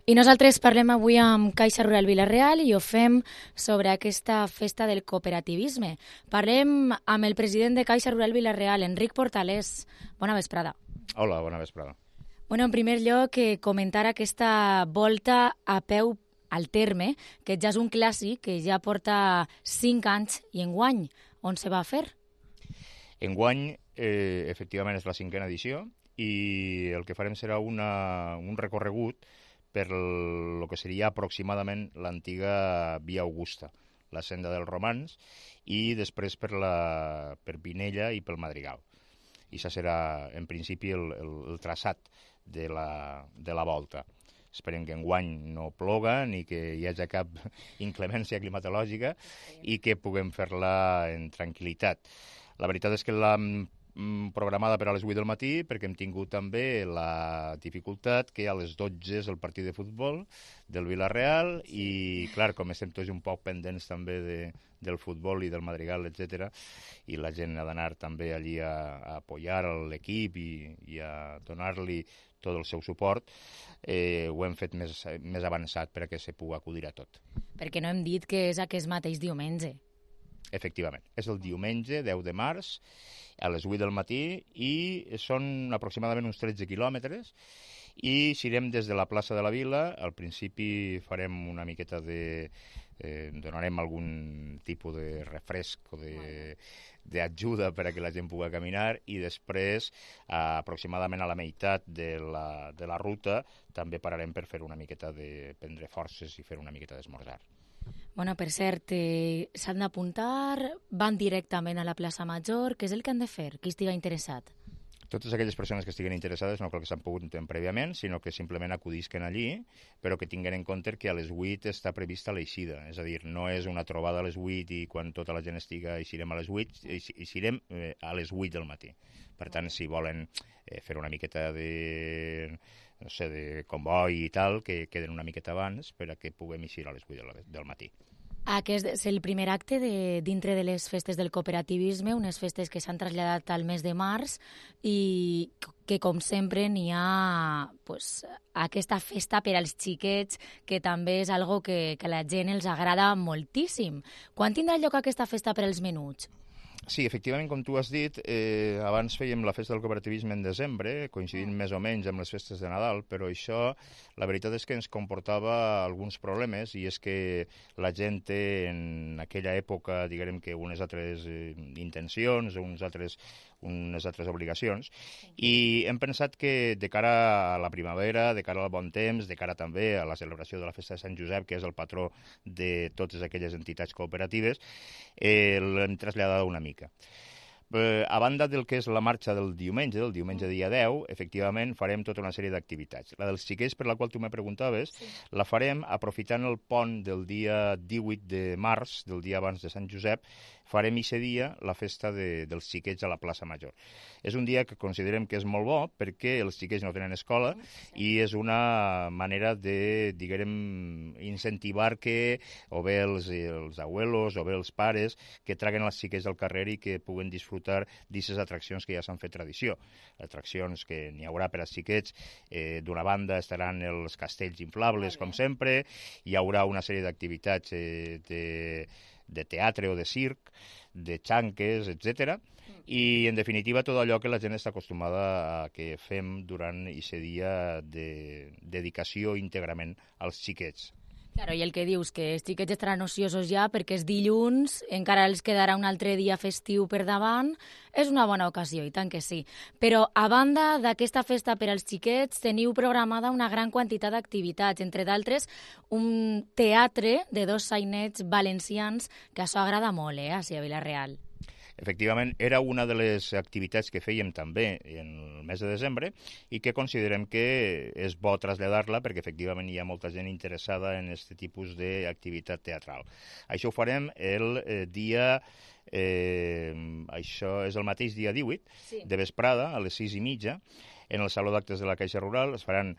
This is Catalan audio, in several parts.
I nosaltres parlem avui amb Caixa Rural Vila-real i ho fem sobre aquesta festa del cooperativisme. Parlem amb el president de Caixa Rural Vila-real, Enric Portalés. Bona vesprada. Hola, bona vesprada. Bueno, en primer lloc, comentar aquesta volta a peu al terme, que ja és un clàssic que ja porta 5 anys i enguany. On se va a fer? Enguany, efectivament, és la 5a edició i el que farem serà un recorregut per el que seria aproximadament l'antiga Via Augusta, la senda dels Romans, i després per Pinella i pel Madrigal. I això serà, en principi, el traçat de la volta. Esperem que enguany no ploga ni que hi hagi cap inclemència climatològica i que puguem fer-la en tranquil·litat. La veritat és que l'hem programada per a les 8 del matí perquè hem tingut també la dificultat que a les 12 és el partit de futbol del Vila-real i, clar, com estem tots un poc pendents també del futbol i del Madrigal, etc., i la gent ha d'anar també allí a apoyar l'equip i a donar-li tot el seu suport, ho hem fet més avançat perquè se pugui acudir a tot. Perquè no hem dit que és aquest mateix diumenge. Efectivament, és el diumenge 10 de març a les 8 del matí i són aproximadament uns 13 quilòmetres i eixirem des de la plaça de la Vila. Al principi farem una miqueta donarem algun tipus de refresc o d'ajuda per a que la gent pugui caminar i després, aproximadament a la meitat de la ruta, també pararem per fer una miqueta de prendre forces i fer una miqueta d'esmorzar. Bueno, per cert, s'han d'apuntar, van directament a la plaça Major, què és el que han de fer? Qui estigui interessat? Totes aquelles persones que estiguen interessades no cal que s'han pogut prèviament, sinó que simplement acudisquen allí, però que tinguin en compte que a les 8 està prevista l'eixida. És a dir, no és una trobada a les 8 i quan tota la gent estiga eixirem a les 8, eixirem a les 8 del matí. Per tant, si volen fer una miqueta de comboi i tal, que queden una miqueta abans per a que puguem eixir a les 8 del matí. Aquest és el primer acte dintre de les festes del cooperativisme, unes festes que s'han traslladat al mes de març i que, com sempre, n'hi ha aquesta festa per als xiquets, que també és algo que a la gent els agrada moltíssim. Quan tindrà lloc aquesta festa per als menuts? Sí, efectivament, com tu has dit, abans fèiem la festa del cooperativisme en desembre, coincidint més o menys amb les festes de Nadal, però això, la veritat és que ens comportava alguns problemes, i és que la gent té en aquella època, diguem que unes altres intencions, unes altres obligacions, i hem pensat que de cara a la primavera, de cara al bon temps, de cara també a la celebració de la festa de Sant Josep, que és el patró de totes aquelles entitats cooperatives, l'hem traslladat una mica. A banda del que és la marxa del diumenge dia 10, efectivament farem tota una sèrie d'activitats. La dels xiquets, per la qual tu me preguntaves, la farem aprofitant el pont del dia 18 de març, del dia abans de Sant Josep, farem aquest dia la festa dels xiquets a la plaça Major. És un dia que considerem que és molt bo perquè els xiquets no tenen escola i és una manera de, diguem, incentivar que o bé els abuelos o bé els pares que traguen els xiquets al carrer i que puguen disfrutar d'aquestes atraccions que ja s'han fet tradició. Atraccions que n'hi haurà per als xiquets. D'una banda estaran els castells inflables, com sempre, hi haurà una sèrie d'activitats de teatre o de circ, de xanques, etc. I, en definitiva, tot allò que la gent està acostumada a que fem durant aquest dia de dedicació íntegrament als xiquets. Claro, i el que dius, que els xiquets estaran ociosos ja perquè és dilluns, encara els quedarà un altre dia festiu per davant, és una bona ocasió, i tant que sí. Però, a banda d'aquesta festa per als xiquets, teniu programada una gran quantitat d'activitats, entre d'altres un teatre de 2 sainets valencians, que això agrada molt, així a Vila-real. Efectivament, era una de les activitats que fèiem també en el mes de desembre i que considerem que és bo traslladar-la perquè efectivament hi ha molta gent interessada en aquest tipus d'activitat teatral. Això ho farem el dia... això és el mateix dia 18, de vesprada, a les 6:30, en el Saló d'Actes de la Caixa Rural. Es faran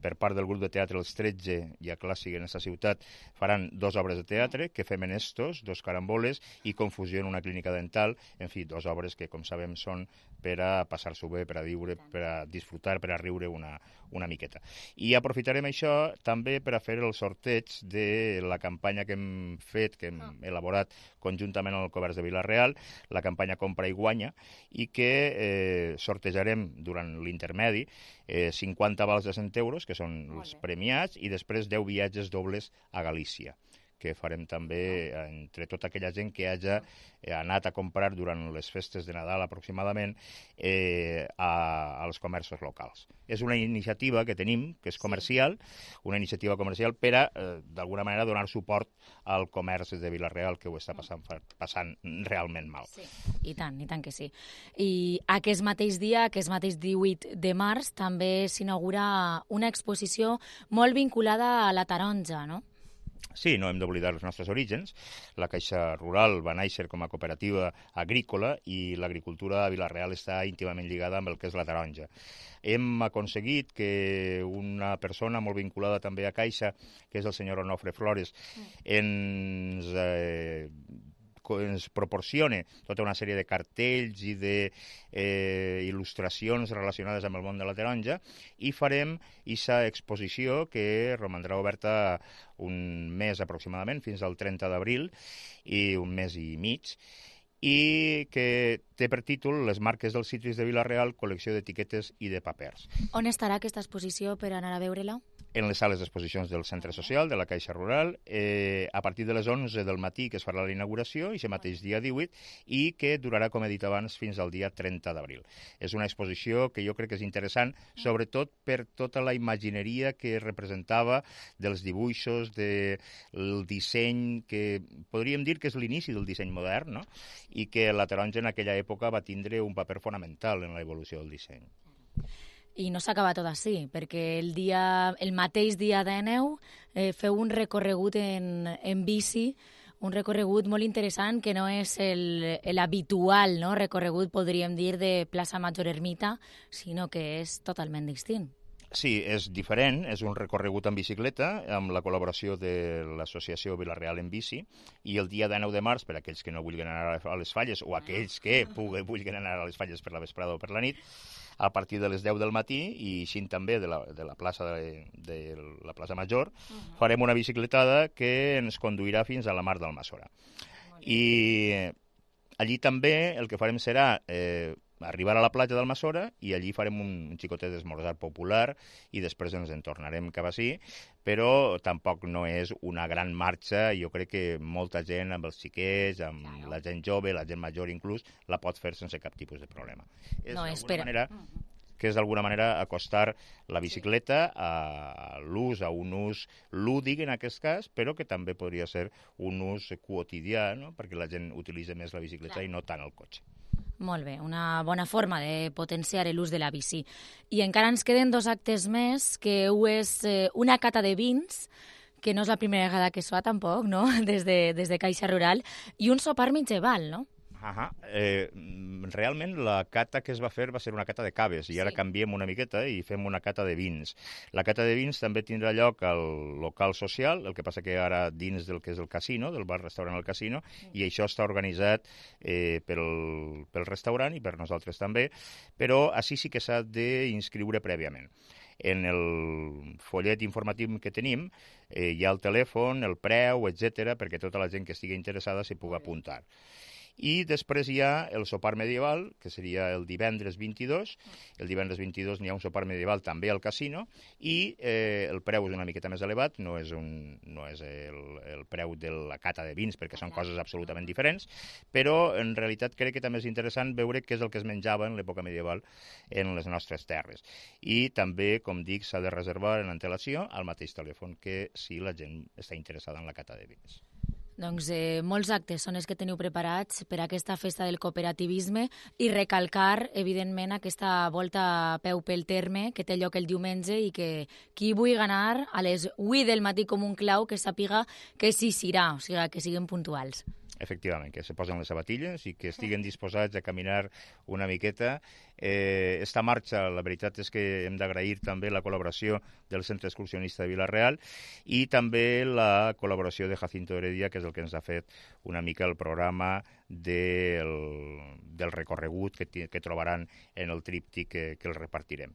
per part del grup de teatre Els 13 i a Clàssic en aquesta ciutat faran 2 obres de teatre, Que fem en estos, 2 caramboles, i Confusió en una clínica dental, en fi, 2 obres que, com sabem, són per a passar-s'ho bé, per a viure, per a disfrutar, per a riure una miqueta. I aprofitarem això també per a fer el sorteig de la campanya que hem fet, que hem elaborat conjuntament amb el Comerç de Vila-real, la campanya Compra i Guanya, i que sortejarem durant l'intermedi 50 vals de 100 euros, que són els premiats, i després 10 viatges dobles a Galícia, que farem també entre tota aquella gent que hagi anat a comprar durant les festes de Nadal aproximadament als comerços locals. És una iniciativa que tenim, que és comercial, una iniciativa comercial per a, d'alguna manera, donar suport al comerç de Vila-real, que ho està passant realment mal. Sí, i tant que sí. I aquest mateix dia, aquest mateix 18 de març, també s'inaugura una exposició molt vinculada a la taronja, no? Sí, no hem d'oblidar els nostres orígens. La Caixa Rural va néixer com a cooperativa agrícola i l'agricultura a Vila-real està íntimament lligada amb el que és la taronja. Hem aconseguit que una persona molt vinculada també a Caixa, que és el senyor Onofre Flores, ens proporcione tota una sèrie de cartells i d'il·lustracions relacionades amb el món de la taronja, i farem aquesta exposició que romandrà oberta un mes aproximadament, fins al 30 d'abril, i un mes i mig, i que té per títol Les marques dels cítrics de Vila-real, col·lecció d'etiquetes i de papers. On estarà aquesta exposició per anar a veure-la? En les sales d'exposicions del Centre Social, de la Caixa Rural, a partir de les 11 del matí, que es farà la inauguració, i aquest mateix dia 18, i que durarà, com he dit abans, fins al dia 30 d'abril. És una exposició que jo crec que és interessant, sobretot per tota la imagineria que representava dels dibuixos, del disseny, que podríem dir que és l'inici del disseny modern, no? I que la taronja en aquella època va tindre un paper fonamental en l'evolució del disseny. I no s'acaba tot així, perquè el mateix dia de neu feu un recorregut en bici, un recorregut molt interessant que no és l'habitual, no? Recorregut, podríem dir, de plaça Major Ermita, sinó que és totalment distint. Sí, és diferent, és un recorregut en bicicleta, amb la col·laboració de l'associació Vila-real en bici, i el dia 9 de març, per a aquells que no vulguin anar a les Falles, o aquells que vulguin anar a les Falles per la vesprada o per la nit, a partir de les 10 del matí, i així també de la plaça de la plaça Major, farem una bicicletada que ens conduirà fins a la Mar d'Almassora. I allí també el que farem serà arribar a la platja d'Almassora, i allí farem un xicotet d'esmorzar popular, i després ens en tornarem cap ací, però tampoc no és una gran marxa. Jo crec que molta gent, amb els xiquets, amb la gent jove, la gent major inclús, la pot fer sense cap tipus de problema. És d'alguna manera acostar la bicicleta a l'ús, a un ús lúdic en aquest cas, però que també podria ser un ús quotidià, no? Perquè la gent utilitza més la bicicleta i no tant el cotxe. Molt bé, una bona forma de potenciar l'ús de la bici. I encara ens queden 2 actes més, que és una cata de vins, que no és la primera vegada que es fa tampoc, no? Des de Caixa Rural, i un sopar mitjaval, no? Realment la cata que es va fer va ser una cata de caves, i ara canviem una miqueta i fem una cata de vins. La cata de vins també tindrà lloc al local social, el que passa que ara dins del que és el casino, del bar-restaurant al casino, i això està organitzat pel restaurant i per nosaltres també, però així sí que s'ha d'inscriure prèviament. En el follet informatiu que tenim hi ha el telèfon, el preu, etc., perquè tota la gent que estigui interessada s'hi pugui apuntar. I després hi ha el sopar medieval, que seria el divendres 22. El divendres 22 n'hi ha un sopar medieval també al casino, i el preu és una miqueta més elevat, no és el preu de la cata de vins, perquè són coses absolutament diferents, però en realitat crec que també és interessant veure què és el que es menjava en l'època medieval en les nostres terres. I també, com dic, s'ha de reservar en antelació al mateix telèfon que si la gent està interessada en la cata de vins. Doncs molts actes són els que teniu preparats per a aquesta festa del cooperativisme, i recalcar, evidentment, aquesta volta a peu pel terme que té lloc el diumenge, i que qui vulgui anar a les 8 del matí com un clau, que sàpiga que sí serà, o sigui, que siguin puntuals. Efectivament, que se posen les sabatilles i que estiguen disposats a caminar una miqueta. Esta marxa, la veritat és que hem d'agrair també la col·laboració del Centre Excursionista de Vila-real i també la col·laboració de Jacinto Heredia, que és el que ens ha fet una mica el programa del recorregut que trobaran en el tríptic que els repartirem.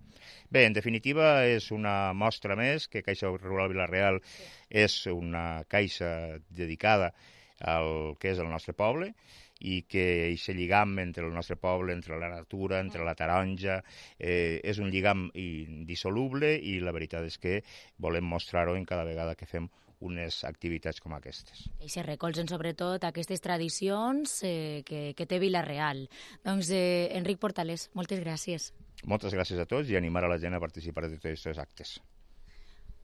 Bé, en definitiva, és una mostra més que Caixa Rural Vila-real és una caixa dedicada al que és el nostre poble i que aquest lligam entre el nostre poble, entre la natura, entre la taronja, és un lligam indissoluble i la veritat és que volem mostrar-ho en cada vegada que fem unes activitats com aquestes. I se recolzen sobretot aquestes tradicions que té Vila-real. Doncs, Enric Portales, moltes gràcies. Moltes gràcies a tots i animar a la gent a participar de tots aquests actes.